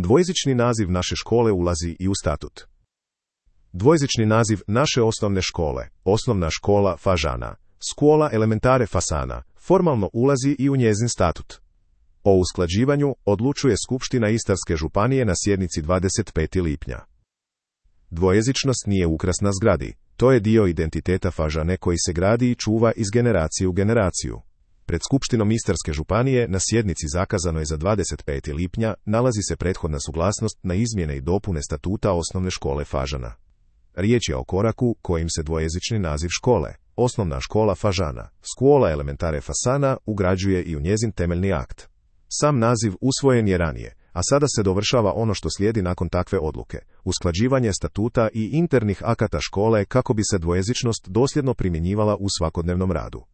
Dvojezični naziv naše škole ulazi i u statut. Dvojezični naziv naše osnovne škole, osnovna škola Fažana, Scuola Elementare Fasana, formalno ulazi i u njezin statut. O usklađivanju odlučuje Skupština Istarske županije na sjednici 25. lipnja. Dvojezičnost nije ukras na zgradi, to je dio identiteta Fažane koji se gradi i čuva iz generacije u generaciju. Pred Skupštinom Istarske županije na sjednici zakazanoj za 25. lipnja nalazi se prethodna suglasnost na izmjene i dopune statuta osnovne škole Fažana. Riječ je o koraku kojim se dvojezični naziv škole, osnovna škola Fažana, Scuola Elementare Fasana, ugrađuje i u njezin temeljni akt. Sam naziv usvojen je ranije, a sada se dovršava ono što slijedi nakon takve odluke, usklađivanje statuta i internih akata škole kako bi se dvojezičnost dosljedno primjenjivala u svakodnevnom radu.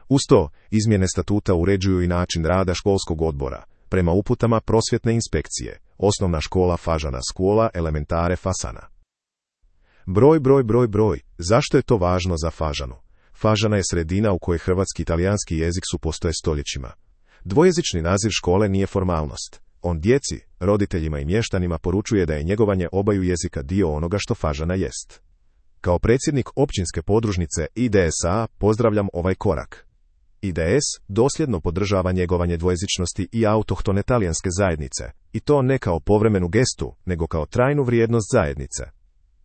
Uz to, izmjene statuta uređuju i način rada školskog odbora, prema uputama prosvjetne inspekcije, osnovna škola Fažana Scuola Elementare Fasana. Broj, zašto je to važno za Fažanu? Fažana je sredina u kojoj hrvatski i italijanski jezik postoje stoljećima. Dvojezični naziv škole nije formalnost. On djeci, roditeljima i mještanima poručuje da je njegovanje obaju jezika dio onoga što Fažana jest. Kao predsjednik općinske podružnice IDS-a pozdravljam ovaj korak. IDS dosljedno podržava njegovanje dvojezičnosti i autohtone talijanske zajednice, i to ne kao povremenu gestu, nego kao trajnu vrijednost zajednice.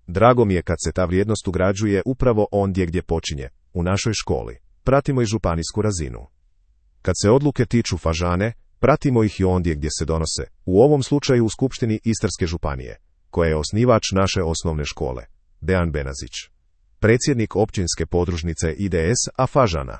Drago mi je kad se ta vrijednost ugrađuje upravo ondje gdje počinje, u našoj školi. Pratimo i županijsku razinu. Kad se odluke tiču Fažane, pratimo ih i ondje gdje se donose, u ovom slučaju u Skupštini Istarske županije, koja je osnivač naše osnovne škole. Dejan Benazić, predsjednik općinske podružnice IDS-a Fažana.